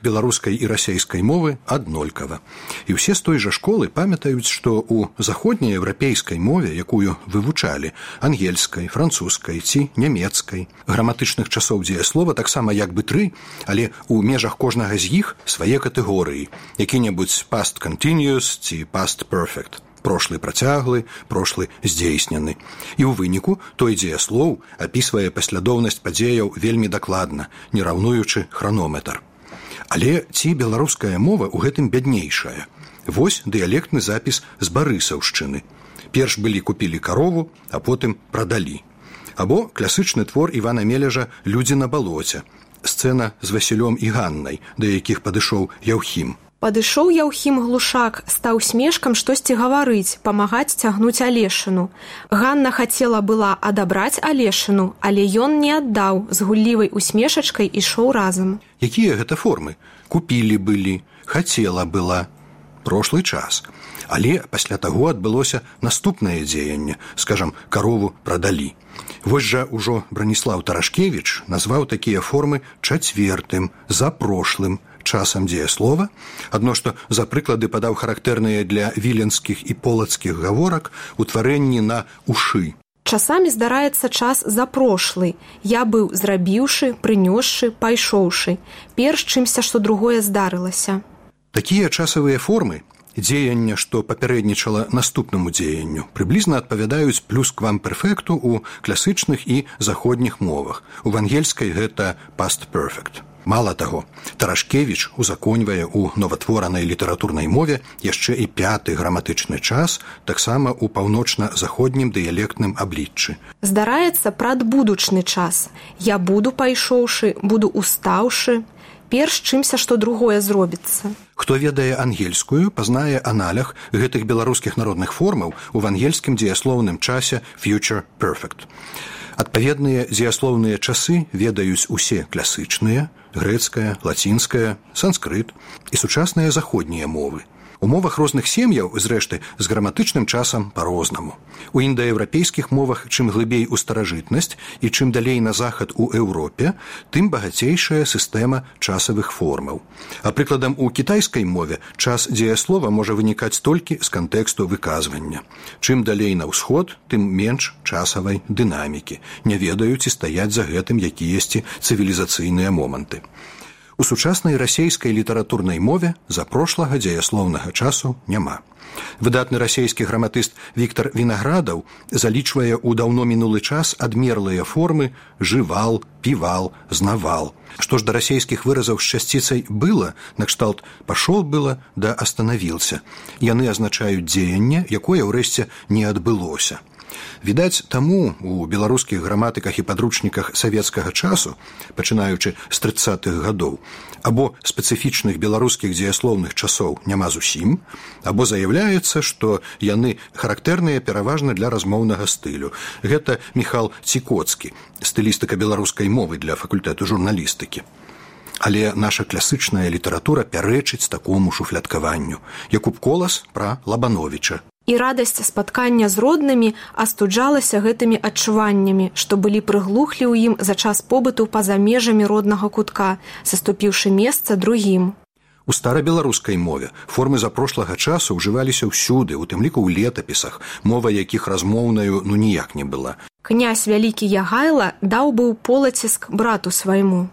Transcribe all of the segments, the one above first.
беларускай і расейскай мовы аднолькава. І ўсе з той жа школы памятаюць, што ў заходнееўрапейскай мове, якую вывучалі, ангельскай, французскай ці нямецкай, граматычных часоў дзеяслова таксама як бы 3, але ў межах кожнага з іх свае катэгорыі, які-небудзь past continuous ці past perfect. Прошлы працяглы, прошлы здзейснены. І ў выніку той дзеяслоў апісвае паслядоўнасць падзеяў вельмі дакладна, не раўнуючы хранометр. Але ці беларуская мова ў гэтым бяднейшая? Вось дыялектны запіс з Барысаўшчыны. Перш былі купілі карову, а потым прадалі. Або класычны твор Івана Мележа «Людзі на балоце». Сцэна з Васілём і Ганнай, да якіх падышоў Яўхім. Падышоў Яўхім глушак, стаў смешкам штосьці гаварыць, памагаць цягнуць Алешыну. Ганна хацела была адабраць Алешыну, але ён не аддаў, з гуллівай усмешачкай ішоў разам. Якія гэта формы? Купілі былі, хацела была. Прошлы час. Але пасля таго адбылося наступнае дзеянне, скажам, карову прадалі. Вось жа ўжо Браніслаў Тарашкевіч назваў такія формы чацвертым, запрошлым часам дзеяслова, адно што за прыклады падаў характэрныя для віленскіх і полацкіх гаворак утварэнні на ушы. Часамі здараецца час запрошлы. Я быў зрабіўшы, прынёсшы, пайшоўшы. Перш чымся, што другое здарылася. Такія часавыя формы, дзеяння, што папярэднічала наступнаму дзеянню, прыблізна адпавядаюць плюсквамперфекту ў класычных і заходніх мовах. У ангельскай гэта past perfect. Мала таго, Тарашкевіч узаконьвае ў новатворанай літаратурнай мове яшчэ і 5-ты граматычны час, таксама ў паўночна-заходнім дыялектным абліччы. Здараецца прадбудучны час. Я буду пайшоўшы, буду устаўшы. Перш чымся, што другое зробіцца. Хто ведае ангельскую, пазнае аналях гэтых беларускіх народных формаў у ангельскім дзеяслоўным часе future perfect. Адпаведныя дзеяслоўныя часы ведаюць усе класычныя, грэцкая, лацінская, санскрыт і сучасныя заходнія мовы. У мовах розных сем'яў, зрэшты, з граматычным часам па-рознаму. У індаеўрапейскіх мовах чым глыбей у старажытнасць і чым далей на захад у Еўропе, тым багацейшая сістэма часавых формаў. А прыкладам, у кітайскай мове час дзеяслова можа вынікаць толькі з кантэксту выказвання. Чым далей на ўсход, тым менш часавай дынамікі. Не ведаюць і стаяць за гэтым якіясьці цывілізацыйныя моманты. У сучаснай расейскай літаратурнай мове запрошлага дзеяслоўнага часу няма. Выдатны расейскі граматыст Віктар Вінаградаў залічвае ў даўно мінулы час адмерлыя формы «жывал», «півал», «знавал». Што ж да расейскіх выразаў з часціцай «было», накшталт «пашол было» да «астанавіўся». Яны азначаюць дзеянне, якое ўрэшце не адбылося. Відаць, таму у беларускіх граматыках і падручніках савецкага часу, пачынаючы з 30-х гадоў, або спецыфічных беларускіх дзеяслоўных часоў няма зусім, або заяўляецца, што яны характэрныя пераважна для размоўнага стылю. Гэта Міхал Цікоцкі, стылістыка беларускай мовы для факультэту журналістыкі. Але наша класычная літаратура пярэчыць такому шуфляткаванню. Якуб Колас пра Лабановіча. І радасць спаткання з роднымі астуджалася гэтымі адчуваннямі, што былі прыглухлі ў ім за час побыту па-за межамі роднага кутка, саступіўшы месца другім. У старабеларускай мове формы запрошлага часу ўжываліся ўсюды, у тым ліку ў летапісах, мова якіх размоўнаю ніяк не была. Князь вялікі Ягайла даў быў полаціск брату свайму.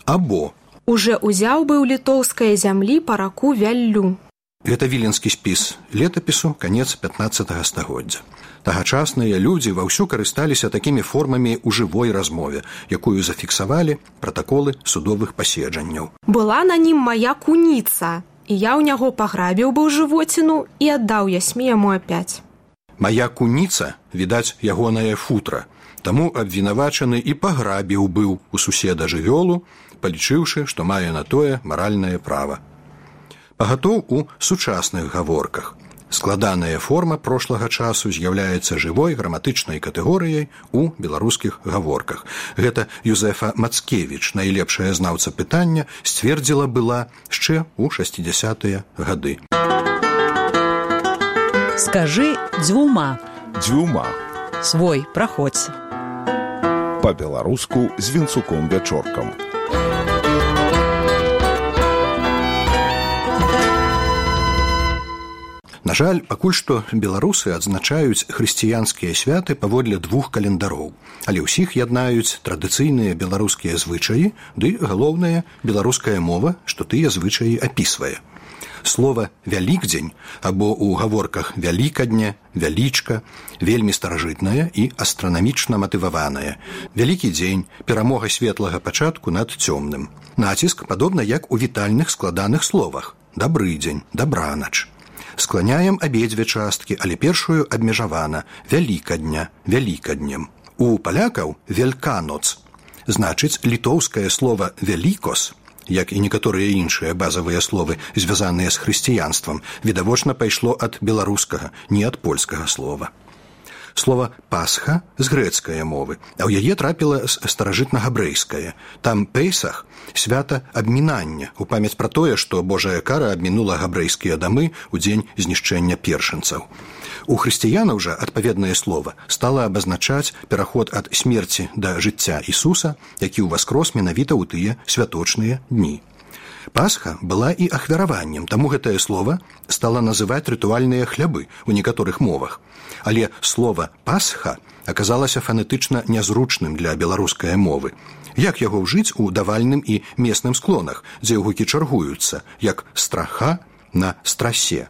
Або уже ўзяў быў літоўскае зямлі па раку Вяллю. Гэта віленскі спіс летапісу, канец 15-го стагоддзя. Тагачасныя людзі ваўсю карысталіся такімі формамі ў жывой размове, якую зафіксавалі пратаколы судовых паседжанняў. Была на нім мая куніца, і я ў няго паграбіў быў жывоціну і аддаў ясмі яму апять. Мая куніца, відаць, ягонае футра, таму абвінавачаны і паграбіў быў у суседа жывёлу, палічыўшы, што мае на тое маральнае права. Пагатоў у сучасных гаворках. Складаная форма прошлага часу з'яўляецца жывой граматычнай катэгорыяй у беларускіх гаворках. Гэта Юзефа Мацкевіч, найлепшая знаўца пытання, сцвердзіла была яшчэ ў 60-тыя гады. Скажы дзвюма. Дзвюма. Свой, праходзь. Па-беларуску з Вінцуком Вячоркам. жаль, пакуль што беларусы адзначаюць хрысціянскія святы паводле 2 календароў, але ўсіх яднаюць традыцыйныя беларускія звычаі ды, галоўнае, беларуская мова, што тыя звычаі апісвае. Слова «вялікдзень» або ў гаворках «вялікадня», «вялічка» вельмі старажытнае і астранамічна матываванае. Вялікі дзень, перамога светлага пачатку над цёмным. Націск падобна як у вітальных складаных словах «дабры дзень», «дабранач». Скланяем абедзве часткі, але першую абмежавана «вялікадня», «вялікаднем». У палякаў «вельканоц» значыць літоўскае слова «велікос», як і некаторыя іншыя базавыя словы, звязаныя з хрысціянствам, відавочна пайшло ад беларускага, не ад польскага слова. Слова «пасха» з грэцкае мовы, а ў яе трапіла з старажытнагабрэйскае. Там «пейсах» – свята абмінання, у памяць пра тое, што Божая кара абмінула габрэйскія дамы ў дзень знішчэння першынцаў. У хрысціянаў жа адпаведнае слова стала абазначаць пераход ад смерці да жыцця Ісуса, які ўваскрос менавіта ў тыя святочныя дні. Пасха была і ахвяраваннем, таму гэтае слова стала называць рытуальныя хлябы ў некаторых мовах. Але слова «пасха» аказалася фанетычна нязручным для беларускай мовы. Як яго ўжыць у давальным і месным склонах, дзе гукі чаргуюцца, як «страха» на «страсе».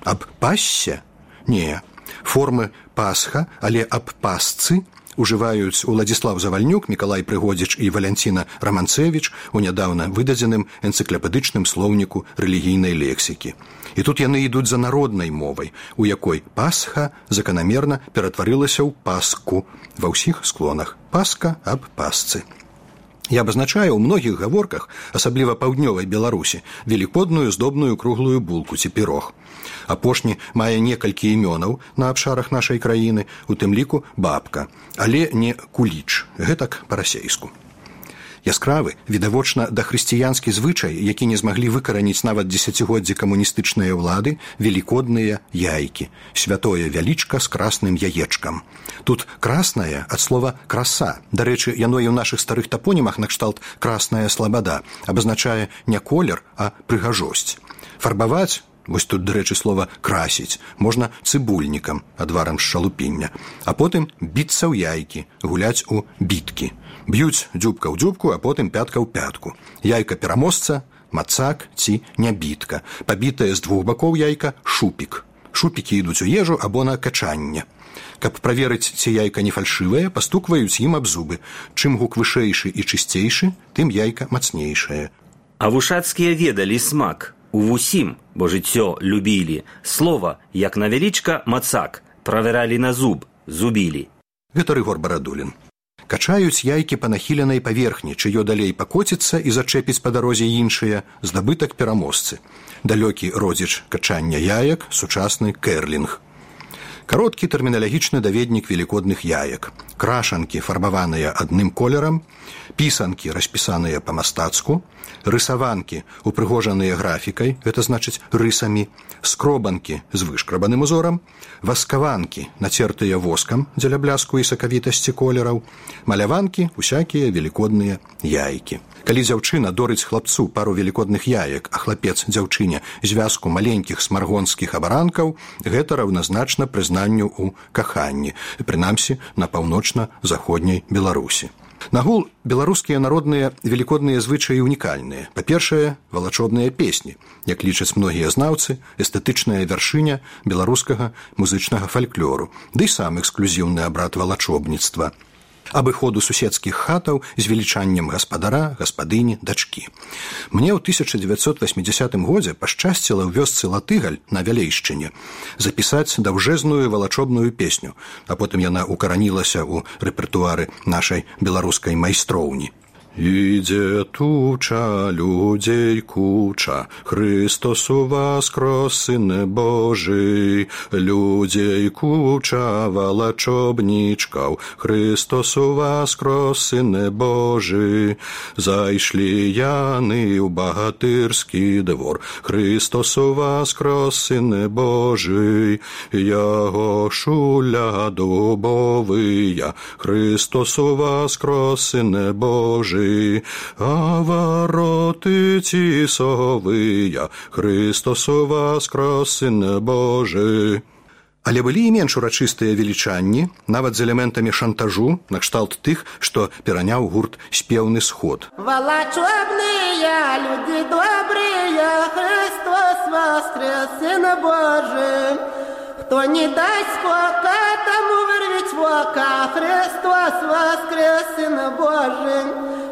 Аб «пассе»? Не. Формы «пасха», але аб «пасцы» ужываюць Уладзіслаў Завальнюк, Мікалай Прыгодзіч і Валянціна Раманцэвіч у нядаўна выдадзеным энцыклапедычным слоўніку рэлігійнай лексікі. І тут яны ідуць за народнай мовай, у якой «пасха» заканамерна ператварылася ў «паску» ва ўсіх склонах. «Паска» аб «пасцы». Я абазначаю ў многіх гаворках, асабліва паўднёвай Беларусі, велікодную здобную круглую булку ці пірог. Апошні мае некалькі імёнаў на абшарах нашай краіны, у тым ліку бабка, але не куліч, гэтак па-расейску. Яскравы, відавочна дахрысціянскі звычай, які не змаглі выкараніць нават дзесяцігоддзі камуністычныя ўлады, велікодныя яйкі, святое вялічка з красным яечкам. Тут краснае ад слова краса. Дарэчы, яно і ў нашых старых тапонімах накшталт красная слабада абазначае не колер, а прыгажосць. Фарбаваць, вось тут, дарэчы, слова красіць, можна цыбульнікам, адварам з шалупіння, а потым біцца ў яйкі, гуляць у біткі. Б'юць дзюбка ў дзюбку, а потым пятка ў пятку. Яйка пераможца, мацак ці нябітка. Пабітае з двух бакоў яйка шупік. Шупікі ідуць у ежу або на качанне. Каб праверыць, ці яйка не фальшывае, пастукваюць ім аб зубы. Чым гук вышэйшы і чысцейшы, тым яйка мацнейшае. А вушацкія ведалі смак. У вусім, бо жыццё любілі. Слова, як на вялічка, мацак. Правералі на зуб, зубілі. Гэта Рыгор Барадулін. Качаюць яйкі па нахіленай паверхні, чыё далей пакоціцца і зачэпіць па дарозе іншыя, здабытак пераможцы. Далёкі родзіч качання яек, сучасны кэрлінг. Кароткі тэрміналагічны даведнік велікодных яек. Крашанкі, фарбаваныя адным колерам, пісанкі, распісаныя па-мастацку, рысаванкі, упрыгожаныя графікай, гэта значыць рысамі, скробанкі з вышкрабаным узорам, васкаванкі, нацертыя воскам дзеля бляску і сакавітасці колераў, маляванкі, усякія велікодныя яйкі. Калі дзяўчына дорыць хлапцу пару велікодных яек, а хлапец дзяўчыне звязку маленькіх смаргонскіх абаранкаў, гэта раўназначна прызнанню ў каханні, прынамсі на паўночна-заходняй Беларусі. Нагул, беларускія народныя велікодныя звычаі унікальныя. Па-першае, валачобныя песні, як лічаць многія знаўцы, эстэтычная вяршыня беларускага музычнага фальклору, ды сам эксклюзіўны абрад валачобніцтва. Абыходу суседскіх хатаў з велічаннем гаспадара, гаспадыні, дачкі. Мне ў 1980 годзе пашчасціла ў вёсцы Латыгаль на Вялейшчыне запісаць даўжэзную валачобную песню, а потым яна укаранілася ў рэпертуары нашай беларускай майстроўні. Іде туча, людзей куча, Христос воскрес, Сыне Божий, людзей куча, валачобнічкаў, Христос воскрес, Сыне Божий, зайшлі яны ў багатырскі двор, Христос воскрес, Сыне Божий, яго шуля дубовыя, Христос воскрес, Сыне Божий, Божий, а вороты тисовыя, Христос воскрес, Сын Божий. Але былі і менш урачыстыя велічанні, нават з элементамі шантажу, накшталт тых, што пераняў гурт «Спеўны сход». Волочебные люди добрые, Христос воскрес, Сын Божий. Кто не даст скока, тому вырвать вока, Христос воскрес, Сын Божий.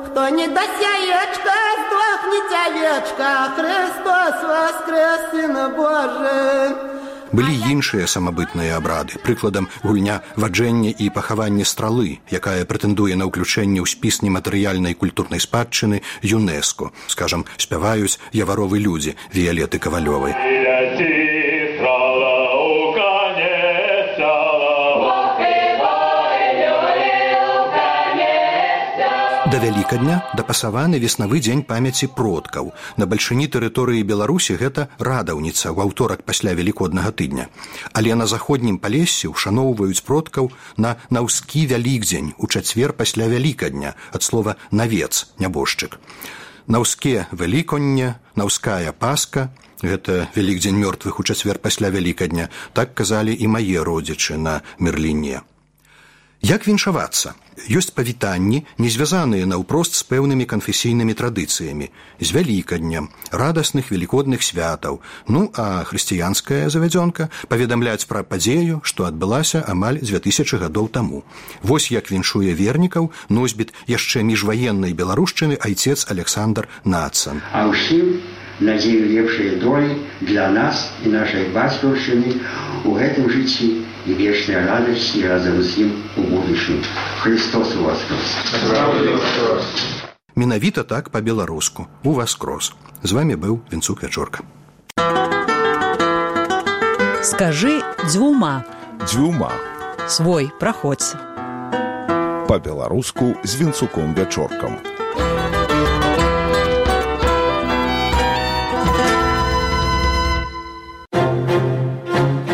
Кто не даст яечка, сдохнет овечка, Христос воскрес, Сын Божий. Былі іншыя самабытныя абрады, прыкладам гульня ваджэння і пахавання стралы, якая прэтэндуе на ўключэнне ў спіс нематэрыяльнай культурнай спадчыны ЮНЕСКО. Скажам, спяваюць яваровы людзі Віялеты Кавалёвай. Да Вялікадня дапасаваны веснавы дзень памяці продкаў. На бальшыні тэрыторыі Беларусі гэта радаўніца ў аўторак пасля Велікоднага тыдня. Але на заходнім Палессі ушаноўваюць продкаў на наўскі Вялікдзень у чацвер пасля Вялікадня, ад слова «навец», нябожчык. Наўске Веліконне, наўская Пасха, гэта Вялікдзень мёртвых у чацвер пасля Вялікадня, так казалі і мае родзічы на Мерліне. Як віншавацца? Ёсць павітанні, не звязаныя наўпрост з пэўнымі канфесійнымі традыцыямі, з Вялікаднем, радасных велікодных святаў. Ну, а хрысціянская завядзёнка паведамляць пра падзею, што адбылася амаль 2000 гадоў таму. Вось як віншуе вернікаў носьбіт яшчэ міжваеннай беларушчыны айцец Александр Нацан. А ўсім надзею лепшай долі для нас і нашай бацькаўшчыны у гэтым жыцці і вечная радасць і разам з ім у будучым. Христос воскрес! Менавіта так па-беларуску. Уваскрос. З вамі быў Вінцук Вячорка. Скажы дзвюма. Дзвюма. Свой праходзь. Па-беларуску з Вінцуком Вячоркам.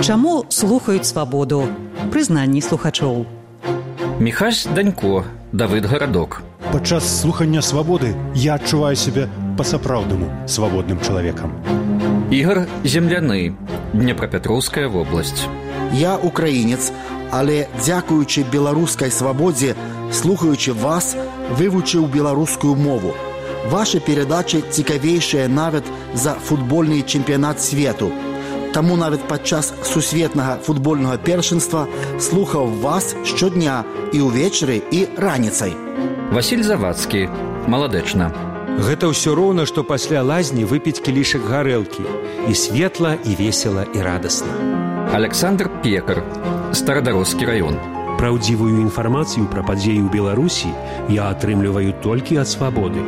Чаму слухаюць свабоду? Прызнанні слухачоў. Міхась Данько, Давыд Гарадок. Падчас слухання свабоды я адчуваю сябе па-сапраўднаму свабодным чалавекам. Ігор Земляны, Днепрапетроўская вобласць. Я украінец, але дзякуючы беларускай свабодзе, слухаючы вас, вывучыў беларускую мову. Вашы перадачы цікавейшыя нават за футбольны чэмпіянат свету. Таму нават падчас сусветнага футбольнага першынства слухаў вас штодня і ўвечары, і раніцай. Васіль Завадскі, Маладэчна. Гэта ўсё роўна, што пасля лазні выпіць кілішак гарэлкі. І светла, і весела, і радасна. Александр Пекар, Старадароскі раён. Праўдзівую інфармацыю пра падзеі ў Беларусі я атрымліваю толькі ад свабоды.